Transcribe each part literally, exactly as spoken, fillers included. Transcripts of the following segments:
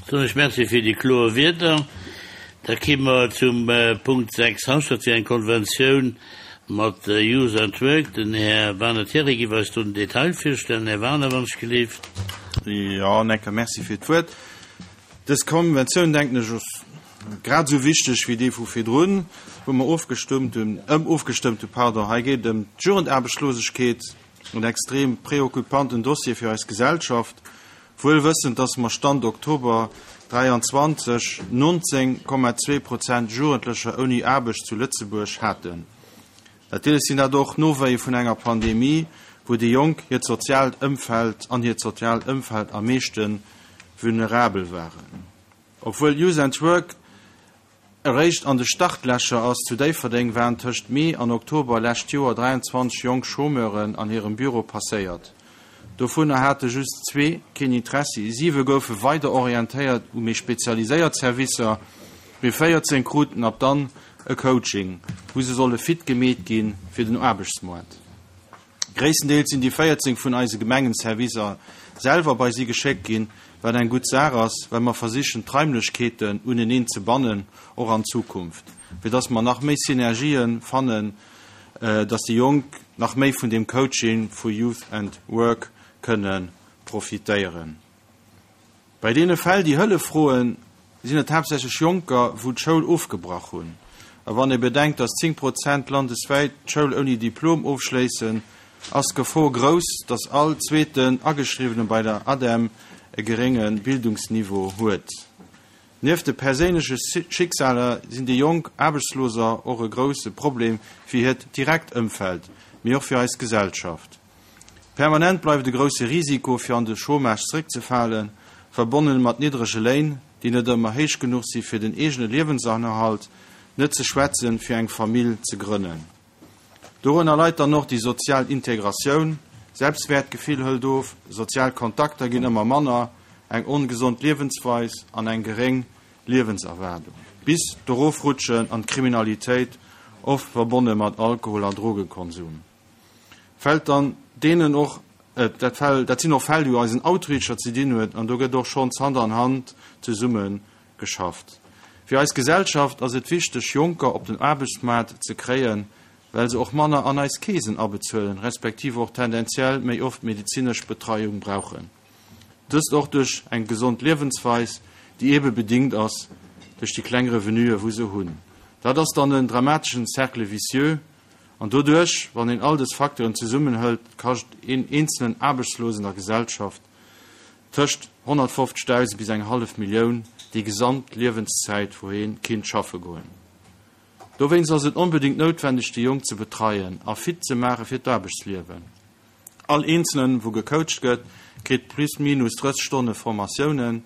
Soen ech Merci fir déi kloer Wierder. Da ki mer zum Punkt sechs haus, dat wier eng Konventioun mat Youth and Work. Den Här Werner Thierry giff eis do den Detail virstellen. Här Werner, wann ech gelift. Jo, Necker, merci fir d'Wuert. Dës Konventioun, denken ech, ass grad esou wichteg wéi déi vu virdrun, wou mer ofgestëmmt hunn, ëm ofgestëmmt hunn, pardon. Hei geet et ëm d'Jugendaarbechtslosegkeet, en extrem preoccupanten Dossier fir eis Gesellschaft, wuel wëssend, dass mer Stand Oktober dräianzwanzeg nonzéng Komma zwee Prozent Jugendlecher ouni Aarbecht zu Lëtzebuerg haten. Natierlech sinn dat och Nowéie vun enger Pandemie, wou déi Jonk hiert soziaalt Ëmfeld an hiert soziaalt Ëmfeld am meeschte vulnerabel waren. Obwuel Youth and Work eréischt an de Startlächer ass, zu Déifferdeng waren tëscht Mee an Oktober lescht Joer dräianzwanzeg jonk Chômeuren an hirem Büro passéiert. Dovunner hate just zwee keen Interessi, siwe goufe weider orientéiert u méi spezialiséiert Servicer, mee véierzéng kruten ab dann e Coaching, wou se solle fit gemeet gi fir den Aarbechtsmoart. Gréisstendeels sinn déi véierzéng vun eise Gemengenservicer selwer bei si geschéckt ginn, wat eng gutt Saach ass, well mer versichen d'Raimlechkeeten uneneen ze bannen, och an Zukunft, fir dass mer nach méi Synergien fannen, dass déi Jonk nach méi vun deem Coaching vu Youth and Work kënne profitéieren. Bei deene Fäll, déi Hëllef froen, sinn et haaptsächlech Jonker, wou d'Schoul ofgebrach hunn. A wann ee bedenkt, dass zéng Prozent landeswäit d'Schoul ouni Diplom ofschléissen, ass d'Gefor grouss, dass all zweeten Ageschriwwene bei der ADEM e gerénge Bildungsniveau huet. Nieft de perséinleche Schicksaler sinn déi jonk Aarbechtsloser och e grousse Problem fir hiert direkt Ëmfeld, mee och fir eis Gesellschaft. Permanent bleift e grousse Risiko fir an de Chômage zeréckzefalen, verbonnen mat niddrege Léin, déi net ëmmer héich genuch si fir den eegene Liewensennerhalt, net ze schwätzen fir eng Famill ze grënnen. Dorënner leit dann och déi sozial Integratioun, Selbstwäertgefill hëlt of, sozial Kontakter ginn ëmmer manner, eng ongesond Liewensweis an eng geréng Liewenserwaardung, bis d'Erofrutschen an d'Kriminalitéit, oft verbonne mat Alkohol a Drogekonsum. Fält dann deenen och, dat Fäll, dat sinn och Fäll, déi eisen Outreacher ze dinn huet, an do gëtt och schonns Hand an Hand zesumme geschafft. Fir eis Gesellschaft ass et wichteg, Jonker op den Aarbechtsmaart ze kréien, well se och manner an eis Keesen abezuelen, respektiv och tendenziell méi oft medezinesch Betreiung brauchen. Dëst och duerch eng gesond Liewensweis, déi eebe bedingt ass duerch déi kleng Revenuen, wou se hunn. Dat ass dann en dramateschen Cercle vicieux. An doduerch, wann een all dës Facteuren zesummenhëlt, kascht een eenzelen Aarbechtslosen der Gesellschaft tëscht honnertfofzegdausend bis eng hallef Millioun déi gesamt Liewenszäit, wou hee kinnt schaffe goen. Dowéinst ass et onbedéngt noutwendeg, déi Jonk ze betreien a fit ze maache fir d'Aarbechtsliewen. All Eenzelen, wou gecoacht gëtt, kritt plus minus drësseg Stonne Formatiounen.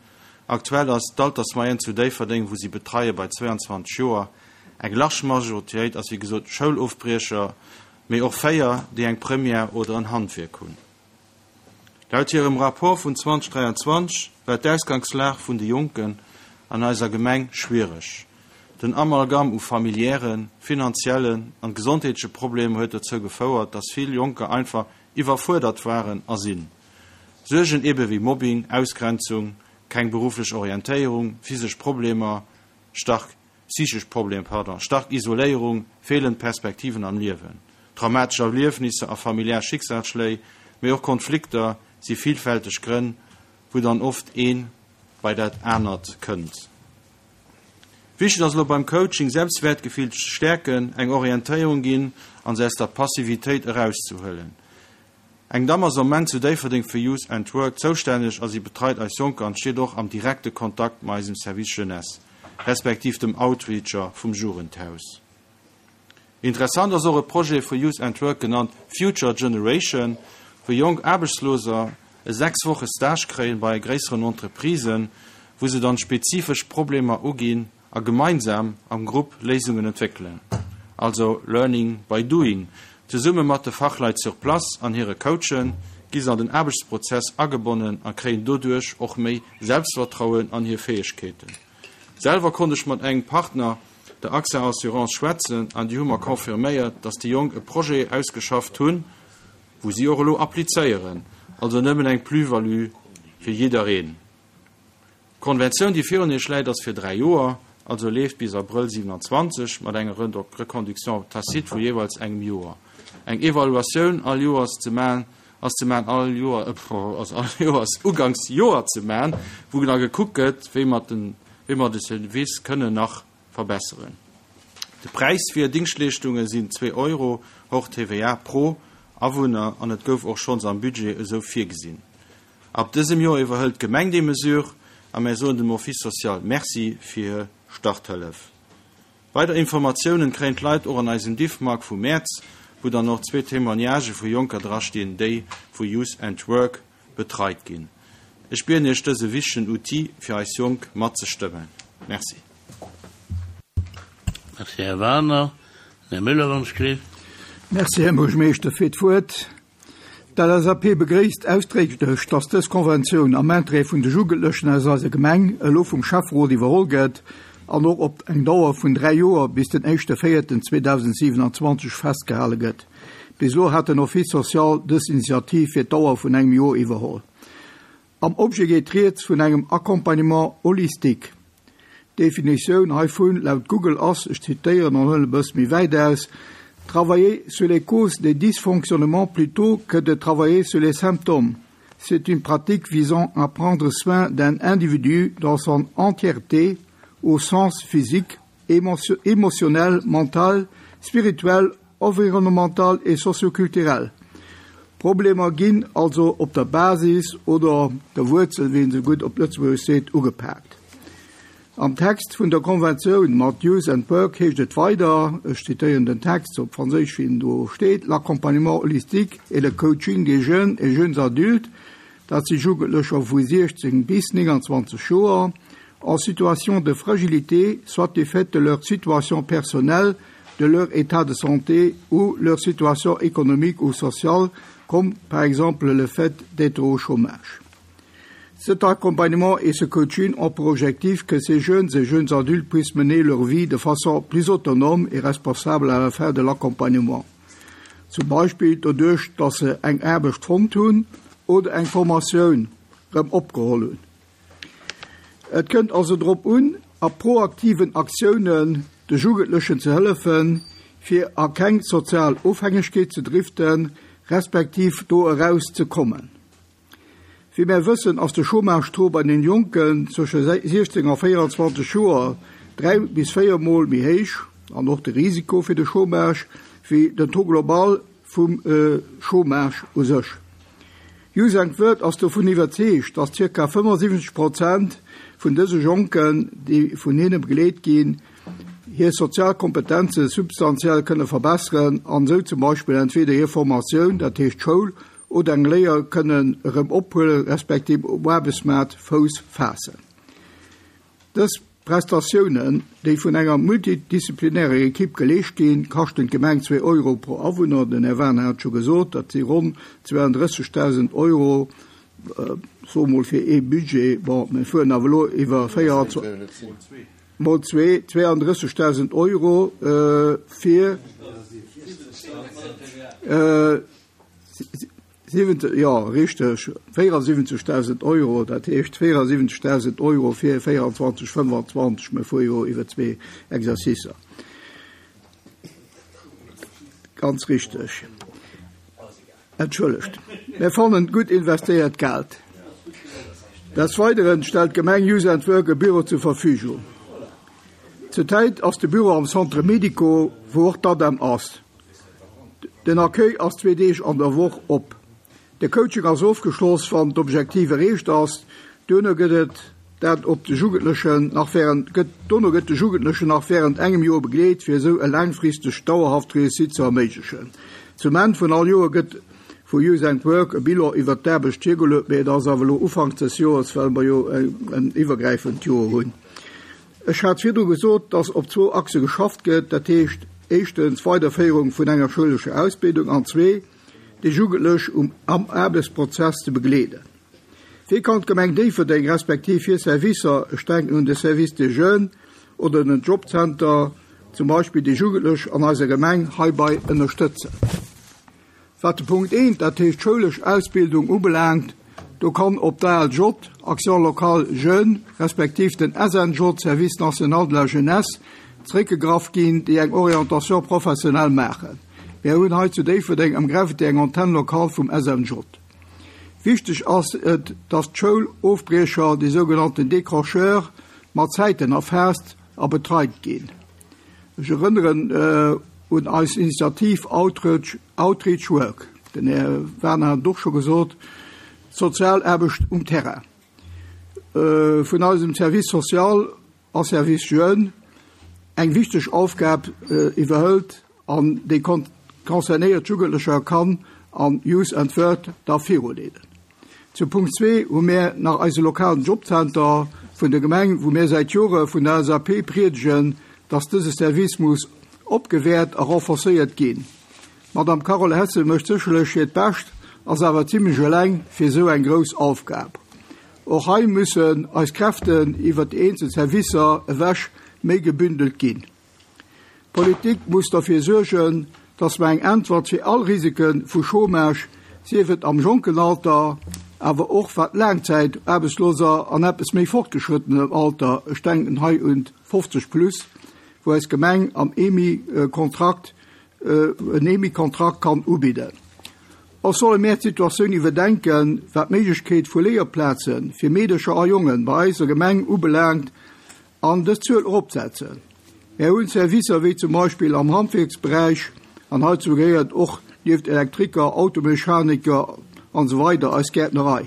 Aktuell ass d'Altersmoyenne zu Déifferdeng, wou si betreie, bei zwéianzwanzeg Joer. Eng large Majoritéit ass wéi gesot Schoulofbriecher, mee och véier, déi eng Première oder en Handwierk hunn. Laut hirem Rapport vun zweitausenddräianzwanzeg war d'Ausgangslag vun de Jonken an eiser Gemeng schwiereg. Den Amalgam u familiären, finanziellen an gesondheetleche Problemer huet dozou gefouert, dass vill Jonker einfach iwwerfuerdert waren a sinn. Suergen ebe wéi Mobbing, Ausgrenzung, keng berufflech Orientéierung, physesch Problemer, stark psychesch Problemer, pardon, stark Isoléierung, feelend Perspektiven am Liewen, traumatesch Erliefnisser a familiär Schicksalsschléi, mee och Konflikter si villfälteg Grënn, wou dann oft ee bei dat anert kënnt. Wichteg ass elo beim Coaching, Selbstwäertgefill ze stäerken, eng Orientéierung ginn an se aus der Passivitéit erauszehuelen. Eng Damm ass am Moment zu Déifferdeng fir Youth and Work zoustänneg a si betreit eis Jonker an steet och am direkte Kontakt mat eisem Service Jeunesse, respektiv dem Outreacher vum Jugendhaus. Interessant ass och e Projet vu Youth and Work genannt Future Generation, wou jonk Aarbechtsloser e sechs Woche Stage kréien bei gréisseren Entreprisen, wou se dann spezifesch Problemer uginn a gemeinsam am Grupp Léisungen entwéckelen. Also Learning by Doing. Zesumme mat de Fachleit sur place an hire Coachen gi se an den Aarbechtsprozess agebonnen a kréien doduerch och méi Selbstvertrauen an hir Fäegkeeten. Selwer konnt ech mat engem Partner, der AXA Assurance, schwätzen an déi hu mer confirméiert, dass déi Jonk e Projet ausgeschafft hunn, wou si och elo applizéieren. Also nëmmen eng Plus-value fir jiddereen. D'Konventioun, déi virun Iech läit, ass fir dräi Joer, also leeft bis Abrëll siewenanzwanzeg, mat enger Reconduction tacite vu jeeweils engem Joer. Eng Evaluatioun all Joers ze man, ass ze man all Joer, ass all Joers uganks Joer ze man, wou da gekuckt gëtt, wéi mer den, wéi mer de Service kënnen nach verbesseren. De Präis fir Dingschtleeschtunge sinn zwee Euro hors T V A pro Awunner an et gouf och schonns am Budget esou virgesinn. Ab dësem Joer iwwerhëlt d'Gemeng déi Mesure a mir soen dem Office social Merci fir Starthëllef. Weider Informatiounen kréien d'Leit och an eisem Diffmag vu Mäerz, wou dann och zwee Témoignagë vu Jonker drastinn, déi vu Youth and Work betreit ginn. Ech bieden Iech, dëse wichtegen Outil fir eis Jonk matzestëmmen. Merci. Merci, Här Werner. Här Müller, wann ech Merci, Här Buergermeeschter, fir d'Wuert. D'L S A P begréisst ausdrécklech, dass dës Konventioun am Interêt vun de Jugendlechen aus eiser Gemeng elo vum Schäfferot iwwerholl gëtt an och op eng Dauer vun dräi Joer bis den éischte véierten zweedausendsiewenanzwanzeg festgehale gëtt. Bis elo hat den Office social dës Initiativ fir d'Dauer vun engem Joer iwwerholl. Am Objet geet rieds vun engem Accompagnement holistique. Definitioun heivun laut Google ass, ech zitéieren an huelen e bësse méi wäit aus: Travailler sur les causes des dysfonctionnements plutôt que de travailler sur les symptômes. C'est une pratique visant à prendre soin d'un individu dans son entièreté, au sens physique, émotion, émotionnel, mental, spirituel, environnemental et socioculturel. Problemer ginn also op der Basis oder der Wuerzel, wéi een se gutt op Lëtzebuergesch seet, ugepaakt. Am Text vun der Konventioun mat Youth and Work heescht et weider, ech zitéieren den Text op Franséisch, wéi en do steet: L'accompagnement holistique et le coaching des jeunes et jeunes adultes, dat si Jugendlecher vu siechzéng bis nénganzwanzeg Joer, en situation de fragilité, soit du fait de leur situation personnelle, de leur état de santé ou leur situation économique ou sociale, comme par exemple le fait d'être au chômage. Cet accompagnement et ce coaching ont pour objectif que ces jeunes et jeunes adultes puissent mener leur vie de façon plus autonome et responsable à la fin de l'accompagnement. Zum Beispill doduerch, dass se eng Aarbecht fonnt hunn oder eng Formatioun rëm opgeholl hunn. Et kënnt also drop un, a proaktiven Aktiounen de Jugendlechen ze hëllefen, fir a keng sozial Ofhängegkeet ze driften, respektiv do eraus ze kommen. Wéi mir wëssen, ass de Chômage-Taux bei den Jonken zwësche siechzéng a véierenzwanzeg Joer dräi bis véier Mol méi héich an och de Risiko fir de Chômage wéi den Taux global vum äh, Chômage u sech. Youth and Work ass dovun iwwerzeegt, dass zirka fënnefensiwwenzeg Prozent vun dëse Jonken, déi vun hinne begleet ginn, hir sozial Kompetenze substanziell kënne verbesseren an sou zum Beispill entweder hir Formatioun, dat heescht Schoul, oder eng Léier kënnen erëm ophuelen, respektiv um Aarbechtsmaart Fouss faassen. Dës Prestatiounen, déi vun enger multidisziplinärer Ekipp geleescht ginn, kaschten d'Gemeng zwee Euro pro Awunner, den Här Werner hat scho gesot, dat si ronn zwouandrëssegdausend Euro, äh, so mol fir ee Budget, bon, mir fueren awer elo iwwer véier mol zwee, zwouandrëssegdausend Euro äh, fir äh, siwente, ja, richteg, véierasiwwenzegdausend Euro, dat heescht véierasiwwenzegdausend Euro fir véierenzwanzeg, fënnfanzwanzeg, mir fuere jo iwwer zwee Exercicer. Ganz richteg. Entschëllegt. Mir fannen gutt investéiert Geld. Des Weideren stellt d'Gemeng Youth and Work e Büro zur Verfügung. Zurzäit ass de Büro am Centre Médico, wou och d'ADEM ass. Den Accueil ass zwee Deeg an der Woch op. De Coaching ass ofgeschloss, wann d'Objektiv erreecht ass. Duerno gëtt et dat op de Jugendlechen nach während gëtt dono gëtt de Jugendlechen nach während engem Joer begleet, fir esou e laangfristeg dauerhaft Réussite ze erméiglechen. Zum Enn vun all Joer gëtt vu Youth and Work e Bilan iwwer d'Aarbecht virgeluecht, mee dat ass awer elo Ufank des Joers, well mer jo en iwwergräifend Joer hunn. Ech hat virdru gesot, dass op zwou Achse geschafft gëtt, dat heescht éischtens Weiderféierung vun enger schoulescher Ausbildung an zwee déi Jugendlech um am Aarbechtsprozess ze begleeden. Wéi kann d'Gemeng Déifferdeng respektiv hir Servicer, ech denken un de Service des Jeunes oder den Jobcenter, zum Beispill déi Jugendlech an eiser Gemeng heibäi ënnerstëtzen? Wat de Punkt eent, dat heescht schoulesch Ausbildung ubelaangt, Do kann op d'ALJ, Action locale Jeunes, respektiv den S N J, Service national de la jeunesse, zréckgegraff ginn, déi eng Orientation professionnelle maachen. Mir hunn hei zu Déifferdeng am Gravity eng Antenne locale vum S N J. Wichteg ass et, dass d'Schoulofbriecher, déi sougenannten Décrocheurs, mat Zäiten erfaasst a betreit ginn. Ech erënneren äh, un eis Initiativ Outreach, Outreach Work. Den Här Werner hat och scho gesot, Sozialaarbecht um Terrain. Äh, vun eisem Service social a Service Jeunes eng wichteg Aufgab äh, iwwerhëlt an déi kon concernéiert Jugendlecher kann an Youth and Work da viruleeden. Zu Punkt zwee hu mir nach eise lokalen Jobcenter vun der Gemeng, wou mir säit Jore vun der L S A P priedegen, dass dëse Service muss opgewäert a renforcéiert ginn. Madame Carole Hesse mécht sécherlech hiert Bescht, ass awer zimmlech eleng fir sou eng grouss Aufgab. Och hei müssen eis Kräften iwwer déi eenzel Servicer ewech méi gebündelt ginn. Politik muss dofir suergen, dass mer eng Äntwert fir all Risike vu Chômage, sief et am jonken Alter, awer och wat Laangzäitaarbechtsloser an eppes méi fortgeschrittenem Alter, ech denken hei un fofzeg plus, wou eis Gemeng am E M I-Kontrakt äh, en E M I-Kontrakt kann ubidden. Och solle mir d'Situatioun iwwerdenken, wat d'Méiglechkeet vu Léierplaze fir Meedercher a Jongen bei eiser Gemeng ubelaangt an dës Zuel eropsetzen. Mir hunn Servicer wéi zum Beispill am Handwierksberäich an heizou gehéiert och nieft Elektriker, Automechaniker an esou weider eis Gäertnerei.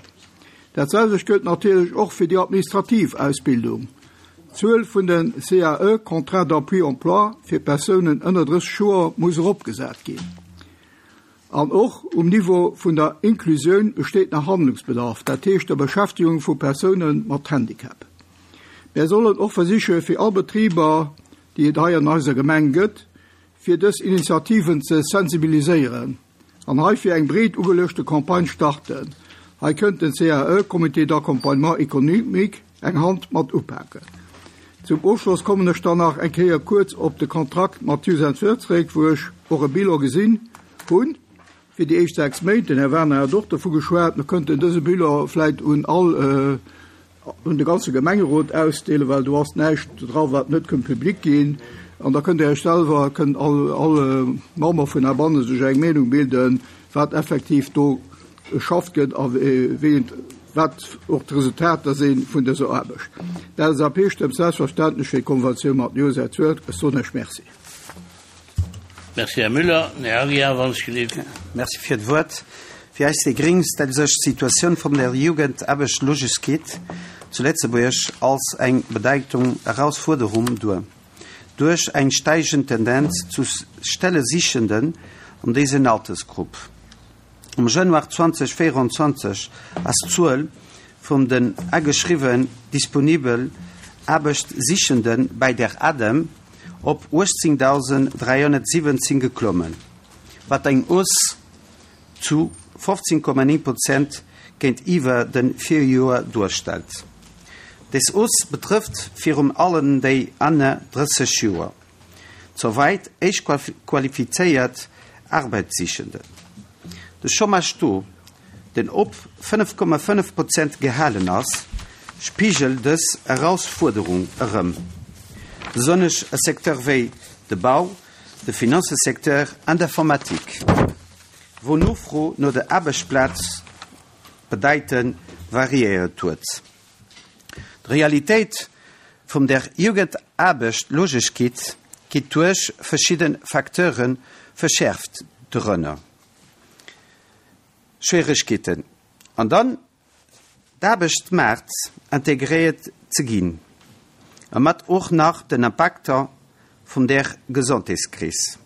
Dat selwecht gëllt natierlech och fir déi administrativ Ausbildung. D'Zuel vun den C A E, Contrat d'appui emploi, fir Persounen ënner drësseg Joer muss eropgesat ginn. An och um Niveau vun der Inklusioun besteet nach Handlungsbedarf, dat heescht der Beschäftegung vu Persoune mat Handicap. Mir sollen och versiche fir all Betriber, déi et hei an eiser Gemeng gëtt, fir dës Initiativen ze sensibiliséieren an hei fir eng breet ugeluechte Campagne starten. Hei kënnt den C A E, Comité d'accompagnement économique, eng Hand mat upaken. Zum Ofschloss kommen ech dann nach eng Kéier kuerz op de Kontrakt mat Youth and Work zeréck, wou ech och e Bilan gesinn hunn fir déi éischt sechs Méint. Den Här Werner hat och dovu geschwat, mir kënnten dëse Bilan vläicht un all äh, un de ganze Gemengerot ausdeelen, well do ass näischt dra wat net kënnt publik ginn. An da kënnt Dir selwer kënnt all, all Member vun heibanne sech eng Meenung bilden, wat effektiv do geschafft gëtt a wéi wat och d'Resultater sinn vun dëser Aarbecht. D'L S A P stëmmt selbstverständlech fir d'Konventioun mat Youth and Work. Ech soen lech Merci. Merci, Här Müller. Här Aguiar, wann ech gelift. Merci fir d'Wuert. Fir eis déi Gréng stellt sech d'Situatioun vun der Jugendaarbechtslosegkeet zu Lëtzebuerg als eng bedeitend Erausfuerderung duer. Duerch eng steigend Tendenz zu Stellesichenden an dëser Altersgrupp. Am Januar zweedausendvéierenzwanzeg ass d'Zuel vun den ageschriwwen disponibel Aarbechtssichende bei der ADEM op uechtzéngdausend dräihonnertsiwwenzéng geklommen, wat eng Hausse zu fofzéng Komma néng Prozent géintiwwer dem Virjoer duerstellt. Dës Hausse betrëfft virun allem déi ënner drësseg Joer. Souwéi héich qualifizéiert Aarbechtssichenden. De Chômage-Taux, deen op fënnef Komma fënnef Prozent gehalen ass, spigelt dës Erausfuerderung erëm. Besonnesch e Secteur wéi de Bau, de Finanzsecteur an d'Informatik, wou d'Nofro no der Aarbechtsplaz bedeitend variéiert huet. D'Realitéit vun der Jugendaarbechtslosegkeet gëtt duerch verschidde Facteure verschäerft, dorënner Schwieregkeeten an den Aarbechtsmaart integréiert ze ginn, a mat och nach den Impakter vun der Gesondheetskris.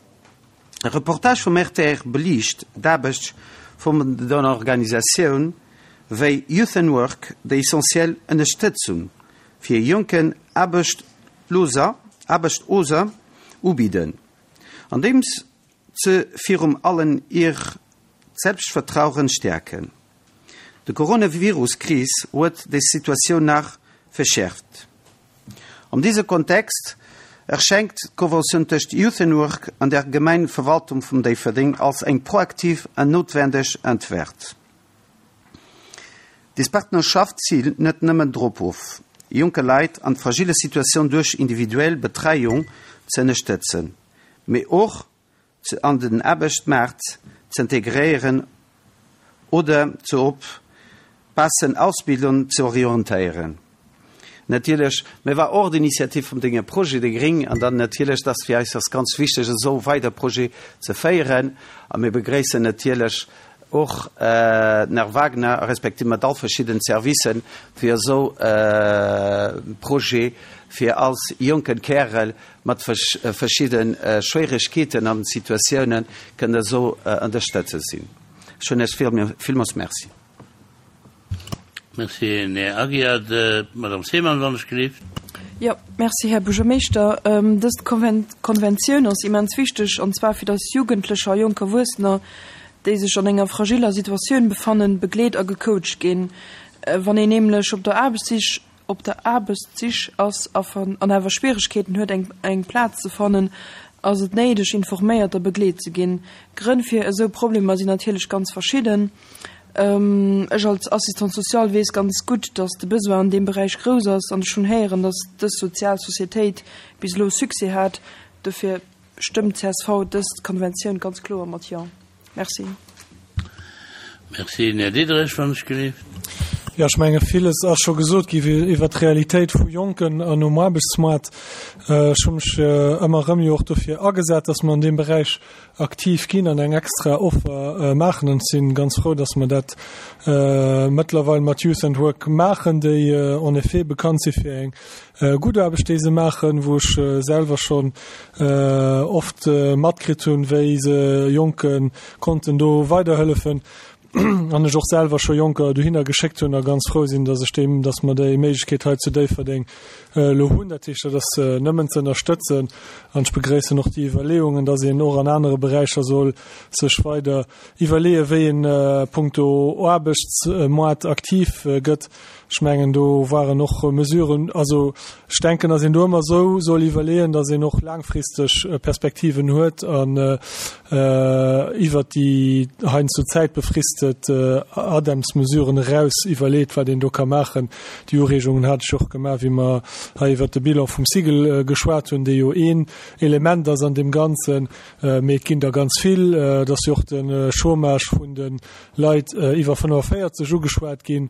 E Reportage vum R T R beliicht d'Aarbecht vun den Organisatioune wéi Youth and Work, déi essentiell Ënnerstëtzung fir jonk Aarbechtsloser Aarbechtsloser ubidden, andeems se virun allem hiert Selbstvertrauen stäerken. D'Coronavirus-Kris huet d'Situatioun nach verschäerft. An dësem Kontext erschéngt d'Konventioun tëscht Youth and Work an der Gemengeverwaltung vun Déifferdeng als eng proaktiv an noutwenneg Äntwert. Des Partnerschaft zielt net nëmmen drop of, jonke Leit an fragile Situatioun duerch individuell Betreiung ze ënnerstëtzen, mee och ze an den Aarbechtsmaart ze integréieren oder ze op passend Ausbildung ze orientéieren. Natierlech mir war och d'Initiativ vum denge Projet de Gring an dann natierlech dat fir eis ass ganz wichteg esou weider Projet ze féieren a mir begréissen natierlech och äh, den Här Wagner respektiv mat all verschidden Servicen fir esou äh, Projet fir als jonken Kärel mat vers äh, verschidden äh, Schwieregkeeten an Situatiounen kënne esou äh, ënnerstëtzt sinn. Schonn vill, villmools Merci. Merci, Här Aguiar. Madame Seemann, wann ech gelift. Ja, merci Här Buergermeeschter. Ähm, dës Konven Konventioun ass immens wichteg an zwar fir dass Jugendlecher a jonk Erwuessener, déi sech an enger fragiller Situatioun befannen, begleet a gecoacht ginn. Äh, wann een nämlech op der Aarbechtssich op der Aarbechtssich ass an awer Schwieregkeeten huet eng, eng Plaz ze fannen, ass et néideg informéiert a begleet ze ginn. Grënn fir esou Problemer sinn natierlech ganz verschidden. Ähm, ech als Assistant social weess ganz gutt, dass de Besoin an deem Beräich grouss ass an schonn héieren, dass dës sozial Societéit bis elo Succès hat. Dofir stëmmt C S V dës Konventioun ganz kloer mat ja. Merci. Merci, Här Diederich, wann ech gelift. Ja, ech menge villes ass scho gesot gi iwwer d'Realitéit vu Jonken an um Aarbechtsmaart äh, ech hu mech äh, ëmmer rëm jo och dofir agesat, dass mer an deem Beräich aktiv ginn an eng extra Offer äh, maachen an sinn ganz frou, dass mer dat äh, mëttlerweil mat Youth and Work maachen, déi äh, en effet bekannt si fir eng äh, gutt Aarbecht déi se maachen, wou ech äh, selwer schonn äh, oft äh, matkritt hunn, wéi se Jonke konnten do weiderhëllefen an ech och selwer scho Jonker dohinner geschéckt hunn a ganz frou sinn, dass ech deem, dass mer déi Méiglechkeet hei zu Déifferdeng äh, lo hunn, dat heescht, dat äh, nëmmen ze ënnerstëtzen an ech begréissen och déi Iwwerleeungen, dass een och an anere Beräicher soll sech weider iwwerleeë wéi een äh, punkto Aarbechtsmaart aktiv äh, gëtt. Ech mengen do waren och Mesuren also ech denken, dass een do ëmmer sou soll iwwerleeën, dass een och laangfristeg äh, Perspektiven huet an äh, äh, iwwer déi heiansdo zäitbefristet äh, ADEMS-Mesuren eraus iwwerleet, wat een do ka maachen. Déi Ureegungen hat ech och gemaach, wéi mer hei iwwer de Bilan vum SIGEL äh, geschwat hunn, dee jo een Element ass an deem Ganzen äh, mee et ginn der ganz vill, äh, dass jo och den äh, Chômage vun de Leit äh, iwwer fënnefenvéierzeg ugeschwat ginn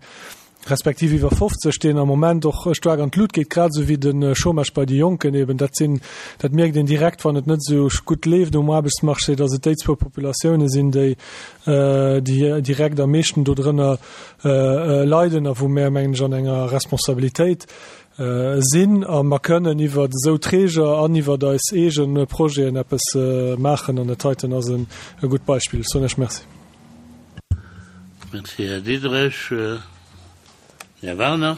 respektiv iwwer fofzeg, deen am Moment och staark an d'Lut geet, grad sou wéi den äh, Chômage bei de Jonken eben dat sinn dat mierkt een direkt wann et net sou gutt leeft um Aarbechtsmarché, dass et déi zwou Populatioune sinn déi äh, déi direkt am meeschten do drënner äh, äh, leiden a wou mer mengen ech an enger Responsabilitéit äh, sinn a mer kënnen iwwer sou Träger an iwwer eis eege Projeten eppes äh, maachen an dat heiten ass en e gutt Beispill soen ech Merci. Merci, Här Diederich. Äh, Här Werner.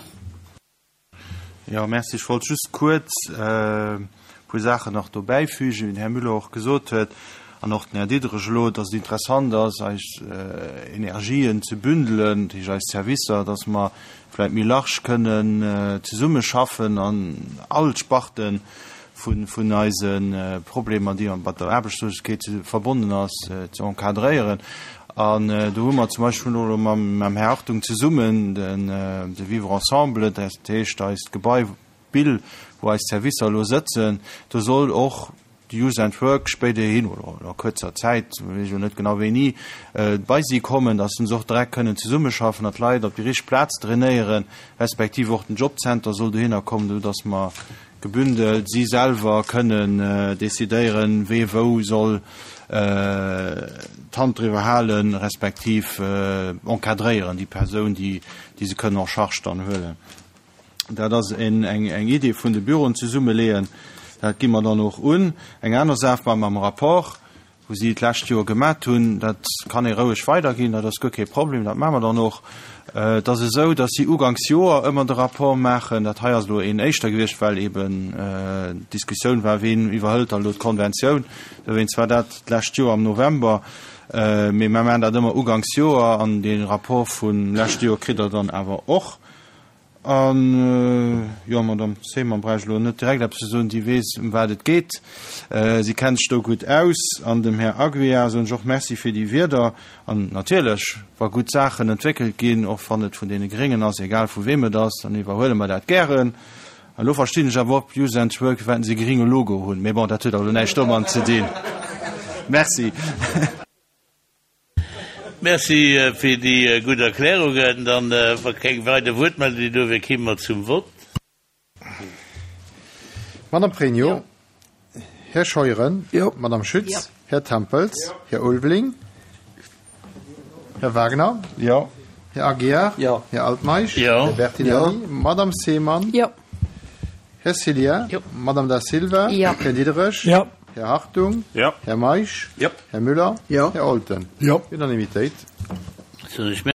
Ja, merci. Ech wollt just kuerz äh, puer Saachen nach dobäi fügen, wéi den Här Müller och gesot huet an och den Här Diederich elo, dass et interessant ass, eis äh, Energien ze bündelen, déi eis Servicer, dass mer vläicht méi large kënnen äh, zesummeschaffen an all Sparten vun vun eisen äh, Problemer, déi mat der Aarbechtslosegkeet verbonnen ass, äh, ze encadréieren. An äh, do hu mer zum Beispill mam, mam Här Hartung zesummen den äh, de Vivre ensemble, dat heescht eist Gebai Bill, wou eis Servicer lo sëtzen, do soll och Youth and Work spéiderhin oder a kuerzer Zäit weess net genau wéini äh, bei si kommen, dass se och direkt kënnen zesummeschaffen, dass d'Leit op déi richteg Plaz trainéieren, respektiv och den Jobcenter soll dohinner kommen, dass mer gebündelt si selwer kënnen äh, decidéieren, wie wou soll äh, d'Hand driwwer halen, respektiv äh, encadréieren déi Persoun, déi déi se kënnen en charge dann huelen. Dat ass eng eng eng Idee vun de Büroen zesummeleeën, dat gi mer dann och un. Eng aner Saach war mam Rapport, wou si d'lescht Joer gemaach hunn, dat kann ee roueg weiderginn, dat ass guer kee Problem, dat maache mer dann och. Äh, dat ass esou, dass si uganks Joer ëmmer de Rapport maachen, dat hei ass lo een éischter gewiescht, well eben äh, Diskussioun war, wien iwwerhëlt dann lo d'Konventioun, dowéinst war dat d'lescht Joer am November, äh, mee mer maachen dat ëmmer uganks Joer an den Rapport vun lescht Joer kritt der dann awer och. An jo, Madame Seymann bräicht elo net direkt eppes ze soen, déi weess, ëm wat et geet. Si kennt sech do gutt aus. An dem Här Aguiar soen ech och Merci fir déi Wierder. An natierlech, wa gutt Saachen entwéckelt ginn, och wann et vun deene Gréngen ass, egal vu weem et ass, dann iwwerhuele mer dat gären. An elo verstinn ech awer och Youth and Work, firwat se e grénge Logo hunn. Mee bon, dat huet awer elo näischt domat ze dinn. Merci. Merci fir déi gutt Erklärungen. Dann, wa keng weider Wuertmeldungen do wier, kéime mer zum Vott. Madame Pregno, Här Scheuren, Madame Schütz, Här Tempels, Här Ulveling, Här Wagner, Här Aguiar, Här Altmeisch, Här Bertinelli, Madame Seemann, Här Cillien, Madame Da Silva, Här Diderich, Här Hartung, Här Meisch, Här Müller, Här Olten. Unanimitéit.